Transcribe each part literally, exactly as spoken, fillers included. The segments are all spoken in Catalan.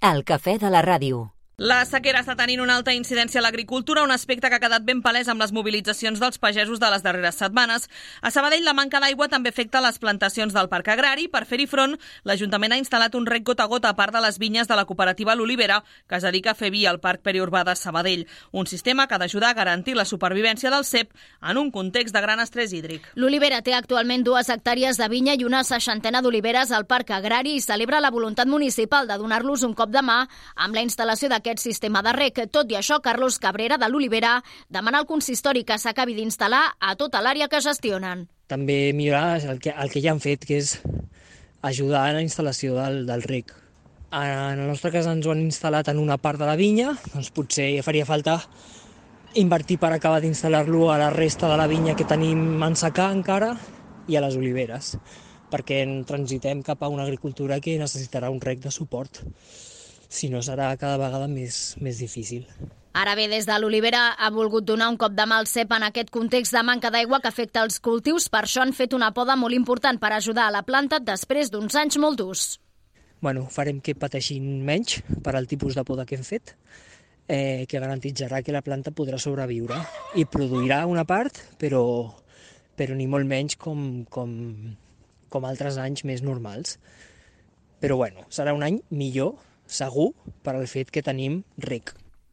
El cafè de la ràdio. La sequera està tenint una alta incidència a l'agricultura, un aspecte que ha quedat ben palès amb les mobilitzacions dels pagesos de les darreres setmanes. A Sabadell, la manca d'aigua també afecta les plantacions del parc agrari. Per fer-hi front, l'Ajuntament ha instal·lat un rec gota a gota a part de les vinyes de la cooperativa L'Olivera, que es dedica a fer vi al parc periurbà de Sabadell. Un sistema que ha d'ajudar a garantir la supervivència del cep en un context de gran estrès hídric. L'Olivera té actualment dues hectàrees de vinya i una seixantena d'oliveres al parc agrari i celebra la voluntat municipal de donar-los un cop de mà amb la instal·lació d'aquest aquest sistema de rec. Tot i això, Carlos Cabrera, de l'Olivera, demana al consistori que s'acabi d'instal·lar a tota l'àrea que gestionen. També millorar el que, el que ja han fet, que és ajudar a la instal·lació del, del rec. En el nostre cas ens ho han instal·lat en una part de la vinya, doncs potser faria falta invertir per acabar d'instal·lar-lo a la resta de la vinya que tenim en secà encara i a les oliveres, perquè transitem cap a una agricultura que necessitarà un rec de suport. Si no, serà cada vegada més, més difícil. Ara bé, des de l'Olivera ha volgut donar un cop de mà al cep en aquest context de manca d'aigua que afecta els cultius. Per això han fet una poda molt important per ajudar a la planta després d'uns anys molt durs. Bueno, farem que pateixin menys per al tipus de poda que hem fet, eh, que garantitzarà que la planta podrà sobreviure i produirà una part, però, però ni molt menys com, com, com altres anys més normals. Però bueno, serà un any millor, segur, per al fet que tenim rec.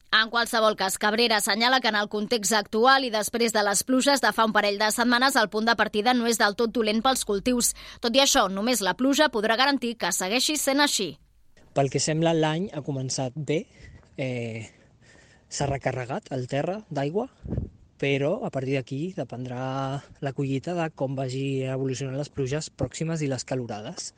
En qualsevol cas, Cabrera assenyala que en el context actual i després de les pluges de fa un parell de setmanes el punt de partida no és del tot dolent pels cultius. Tot i això, només la pluja podrà garantir que segueixi sent així. Pel que sembla, l'any ha començat bé, eh, s'ha recarregat el terra d'aigua, però a partir d'aquí dependrà la collita de com vagi evolucionant les pluges pròximes i les calorades.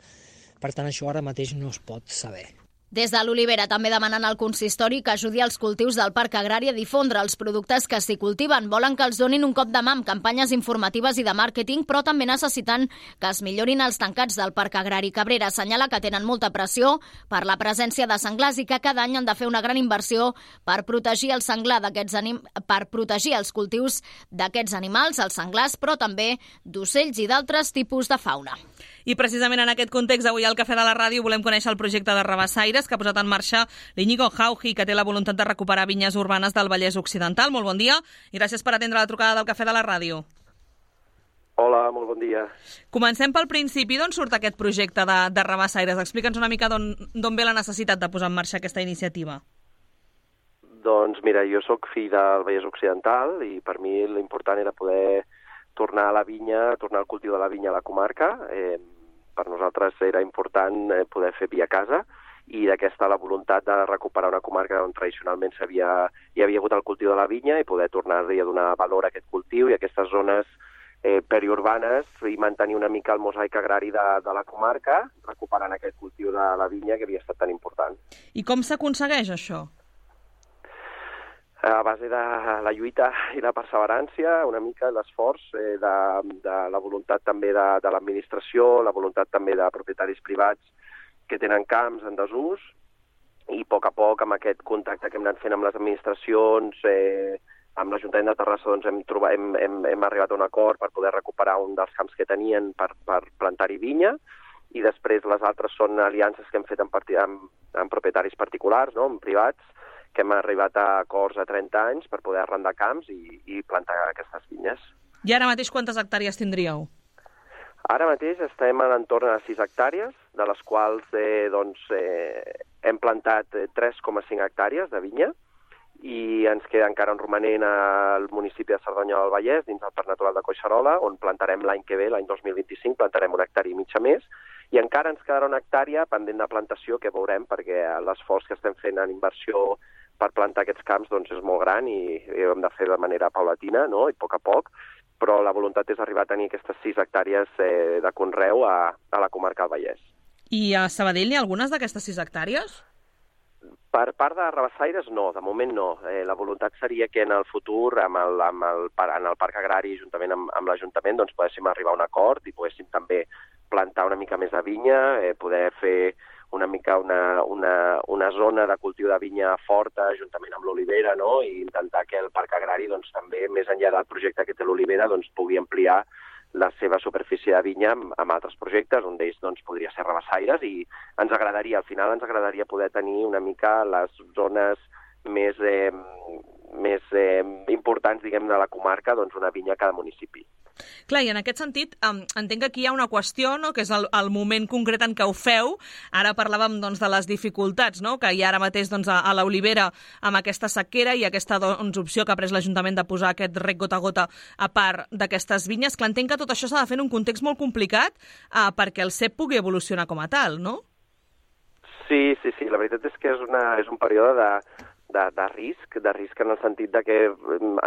Per tant, això ara mateix no es pot saber. Des de l'Olivera també demanen al consistori que ajudi els cultius del parc agrari a difondre els productes que s'hi cultiven. Volen que els donin un cop de mà amb campanyes informatives i de màrqueting, però també necessiten que es millorin els tancats del parc agrari. Cabrera assenyala que tenen molta pressió per la presència de senglars i que cada any han de fer una gran inversió per protegir el senglar d'aquests anim... per protegir els cultius d'aquests animals, els senglars, però també d'ocells i d'altres tipus de fauna. I precisament en aquest context, avui al Cafè de la Ràdio volem conèixer el projecte de Rabassaires que ha posat en marxa l'Iñigo Jauji, que té la voluntat de recuperar vinyes urbanes del Vallès Occidental. Molt bon dia i gràcies per atendre la trucada del Cafè de la Ràdio. Hola, molt bon dia. Comencem pel principi. D'on surt aquest projecte de, de Rabassaires? Explica'ns una mica d'on ve la necessitat de posar en marxa aquesta iniciativa. Doncs mira, jo sóc fill del Vallès Occidental i per mi l'important era poder tornar a la vinya, tornar al cultiu de la vinya a la comarca. Eh, per nosaltres era important eh, poder fer vi a casa i d'aquesta la voluntat de recuperar una comarca on tradicionalment havia, hi havia hagut el cultiu de la vinya i poder tornar-hi a donar valor a aquest cultiu i a aquestes zones eh, periurbanes i mantenir una mica el mosaic agrari de, de la comarca, recuperant aquest cultiu de la vinya que havia estat tan important. I com s'aconsegueix això? A base de la lluita i la perseverància, una mica l'esforç eh, de, de la voluntat també de, de l'administració, la voluntat també de propietaris privats que tenen camps en desús i a poc a poc amb aquest contacte que hem anat fent amb les administracions, eh, amb l'Ajuntament de Terrassa doncs hem, trobat, hem, hem, hem arribat a un acord per poder recuperar un dels camps que tenien per, per plantar-hi vinya i després les altres són aliances que hem fet amb, amb, amb propietaris particulars, no?, amb privats, que hem arribat a acords a trenta anys per poder arrendar camps i, i plantar aquestes vinyes. I ara mateix quantes hectàrees tindríeu? Ara mateix estem a l'entorn de sis hectàrees, de les quals eh, doncs, eh, hem plantat tres coma cinc hectàrees de vinya i ens queda encara un romanent al municipi de Cerdanyola del Vallès, dins del Parc Natural de Collserola, on plantarem l'any que ve, l'any dos mil vint-i-cinc, plantarem una hectàrea i mitja més, i encara ens quedarà una hectàrea pendent de plantació que veurem, perquè l'esforç que estem fent en inversió per plantar aquests camps doncs, és molt gran i, i ho hem de fer de manera paulatina, no?, i a poc a poc, però la voluntat és arribar a tenir aquestes sis hectàrees eh, de conreu a, a la comarca del Vallès. I a Sabadell n'hi ha algunes d'aquestes sis hectàrees? Per part de Rabassaires, no, de moment no. Eh, la voluntat seria que en el futur, amb el, amb el, en el parc agrari, juntament amb, amb l'Ajuntament, doncs poguéssim arribar a un acord i poguéssim també plantar una mica més de vinya, eh, poder fer una mica una, una, una zona de cultiu de vinya forta juntament amb l'Olivera, no?, i intentar que el parc agrari doncs, també, més enllà del projecte que té l'Olivera, doncs, pugui ampliar la seva superfície de vinya amb, amb altres projectes, un d'ells doncs, podria ser Rabassaires, i ens agradaria, al final ens agradaria poder tenir una mica les zones més, eh, més eh, importants, diguem, de la comarca, doncs una vinya a cada municipi. Clar, i en aquest sentit, um, entenc que aquí hi ha una qüestió, no?, que és el, el moment concret en què ho feu. Ara parlàvem doncs, de les dificultats, no?, que hi ha ara mateix doncs, a, a l'Olivera amb aquesta sequera i aquesta doncs, opció que ha pres l'Ajuntament de posar aquest rec gota a gota a part d'aquestes vinyes. Clar, entenc que tot això s'ha de fer en un context molt complicat uh, perquè el C E P pugui evolucionar com a tal, no? Sí, sí, sí. La veritat és que és, una, és un període de... De, de risc, de risc en el sentit de que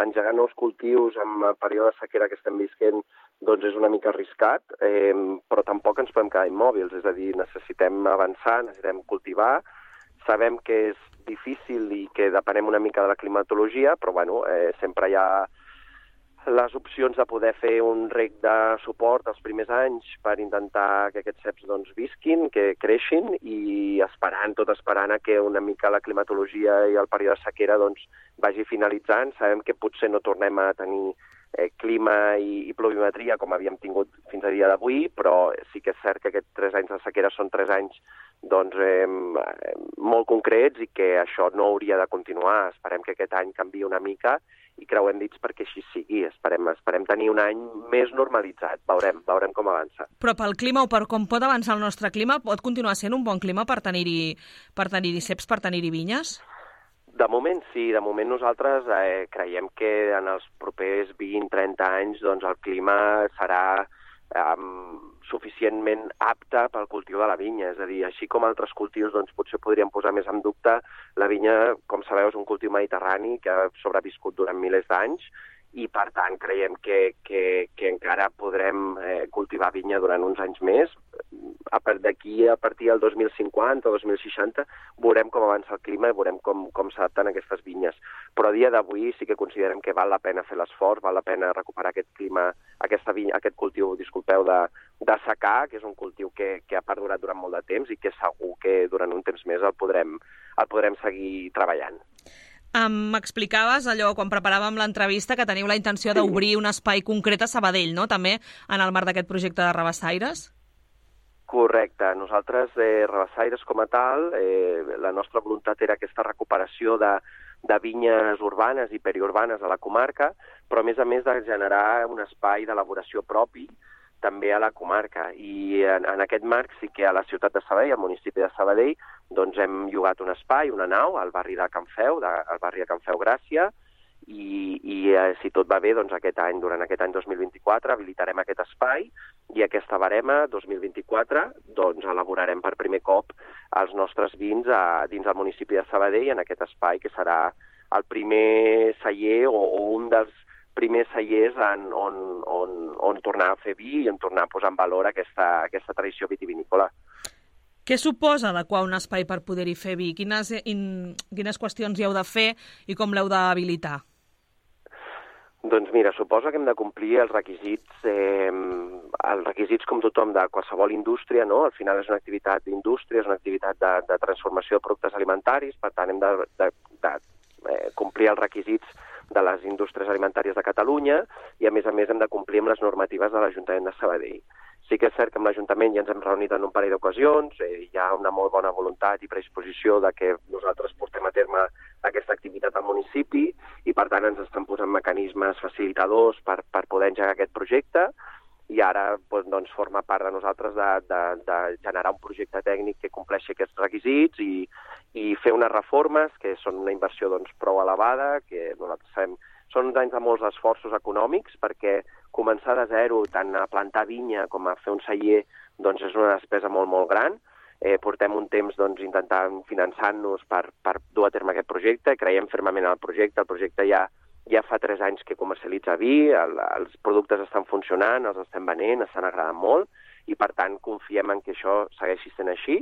engegar nous cultius en el període de sequera que estem visquent doncs és una mica arriscat, eh, però tampoc ens podem quedar immòbils, és a dir, necessitem avançar, necessitem cultivar, sabem que és difícil i que depenem una mica de la climatologia, però bueno, eh, sempre hi ha les opcions de poder fer un rec de suport els primers anys per intentar que aquests ceps doncs, visquin, que creixin, i esperant, tot esperant a que una mica la climatologia i el període de sequera doncs, vagi finalitzant. Sabem que potser no tornem a tenir eh, clima i, i pluviometria com havíem tingut fins a dia d'avui, però sí que és cert que aquests tres anys de sequera són tres anys doncs, eh, molt concrets i que això no hauria de continuar. Esperem que aquest any canviï una mica i creuem dits perquè així sigui. Esperem, esperem tenir un any més normalitzat. Veurem, veurem com avança. Però pel clima o per com pot avançar el nostre clima, pot continuar sent un bon clima per tenir-hi per tenir-hi ceps, per tenir-hi vinyes? De moment sí, de moment nosaltres eh, creiem que en els propers vint a trenta anys doncs, el clima serà eh, suficientment apte pel cultiu de la vinya. És a dir, així com altres cultius doncs, potser podríem posar més en dubte, la vinya, com sabeu, és un cultiu mediterrani que ha sobreviscut durant milers d'anys i, per tant, creiem que, que, que encara podrem eh, cultivar vinya durant uns anys més. A part d'aquí, a partir del dos mil cinquanta o dos mil seixanta, veurem com avança el clima i veurem com, com s'adapten aquestes vinyes. Però a dia d'avui sí que considerem que val la pena fer l'esforç, val la pena recuperar aquest clima, aquesta vinya, aquest cultiu, disculpeu, de, de secà, que és un cultiu que, que ha perdurat durant molt de temps i que segur que durant un temps més el podrem, el podrem seguir treballant. M'explicaves allò, quan preparàvem l'entrevista, que teniu la intenció d'obrir un espai concret a Sabadell, no?, també en el marc d'aquest projecte de Rabassaires? Correcte. Nosaltres, eh, Rabassaires com a tal, eh, la nostra voluntat era aquesta recuperació de, de vinyes urbanes i periurbanes a la comarca, però a més a més de generar un espai d'elaboració propi també a la comarca. I en, en aquest marc sí que a la ciutat de Sabadell, al municipi de Sabadell, doncs hem llogat un espai, una nau, al barri de Can Feu, de, al barri de Can Feu Gràcia, i, i eh, si tot va bé, doncs aquest any, durant aquest any dos mil vint-i-quatre, habilitarem aquest espai i aquesta barema dos mil vint-i-quatre doncs elaborarem per primer cop els nostres vins a, dins del municipi de Sabadell en aquest espai que serà el primer celler o, o un dels primers cellers en, on, on, on tornar a fer vi i on tornar a posar en valor aquesta, aquesta tradició vitivinícola. Què suposa adequar un espai per poder-hi fer vi? Quines, in, quines qüestions hi heu de fer i com l'heu d'habilitar? Doncs mira, suposa que hem de complir els requisits, eh, els requisits com tothom de qualsevol indústria, no? Al final és una activitat d'indústria, és una activitat de, de transformació de productes alimentaris, per tant hem de, de, de eh, complir els requisits de les indústries alimentàries de Catalunya i, a més a més, hem de complir amb les normatives de l'Ajuntament de Sabadell. Sí que és cert que amb l'Ajuntament ja ens hem reunit en un parell d'ocasions, eh, hi ha una molt bona voluntat i predisposició de que nosaltres portem a terme aquesta activitat al municipi i, per tant, ens estan posant mecanismes facilitadors per, per poder engegar aquest projecte i ara doncs, forma part de nosaltres de, de, de generar un projecte tècnic que compleixi aquests requisits i, i fer unes reformes que són una inversió doncs, prou elevada, que nosaltres sabem són uns anys de molts esforços econòmics perquè començar de zero tant a plantar vinya com a fer un celler doncs, és una despesa molt, molt gran. Eh, portem un temps doncs, intentant finançar-nos per, per dur a terme aquest projecte, creiem fermament en el projecte, el projecte ja Ja fa tres anys que comercialitza vi, el, els productes estan funcionant, els estem venent, estan agradant molt i, per tant, confiem en que això segueixi sent així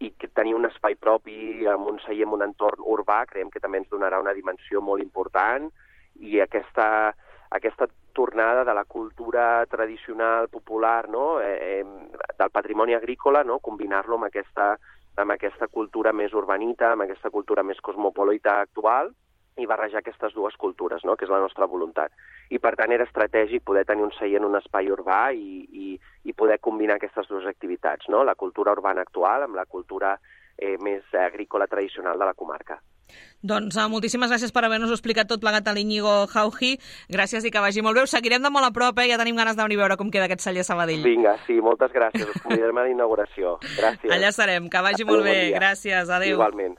i que tenir un espai propi amb un celler en un entorn urbà creiem que també ens donarà una dimensió molt important i aquesta, aquesta tornada de la cultura tradicional popular, no? eh, del patrimoni agrícola, no? Combinar-lo amb aquesta, amb aquesta cultura més urbanita, amb aquesta cultura més cosmopolita actual, i barrejar aquestes dues cultures, no? Que és la nostra voluntat. I per tant era estratègic poder tenir un celler en un espai urbà i, i, i poder combinar aquestes dues activitats, no? La cultura urbana actual amb la cultura eh, més agrícola tradicional de la comarca. Doncs uh, moltíssimes gràcies per haver-nos explicat tot plegat a l'Iñigo Jauji. Gràcies i que vagi molt bé. Us seguirem de molt a prop, eh? Ja tenim ganes de venir a veure com queda aquest celler a Sabadell. Vinga, sí, moltes gràcies. Us convidarem a la inauguració. Gràcies. Allà serem. Que vagi molt bé. Gràcies. Adéu. Igualment.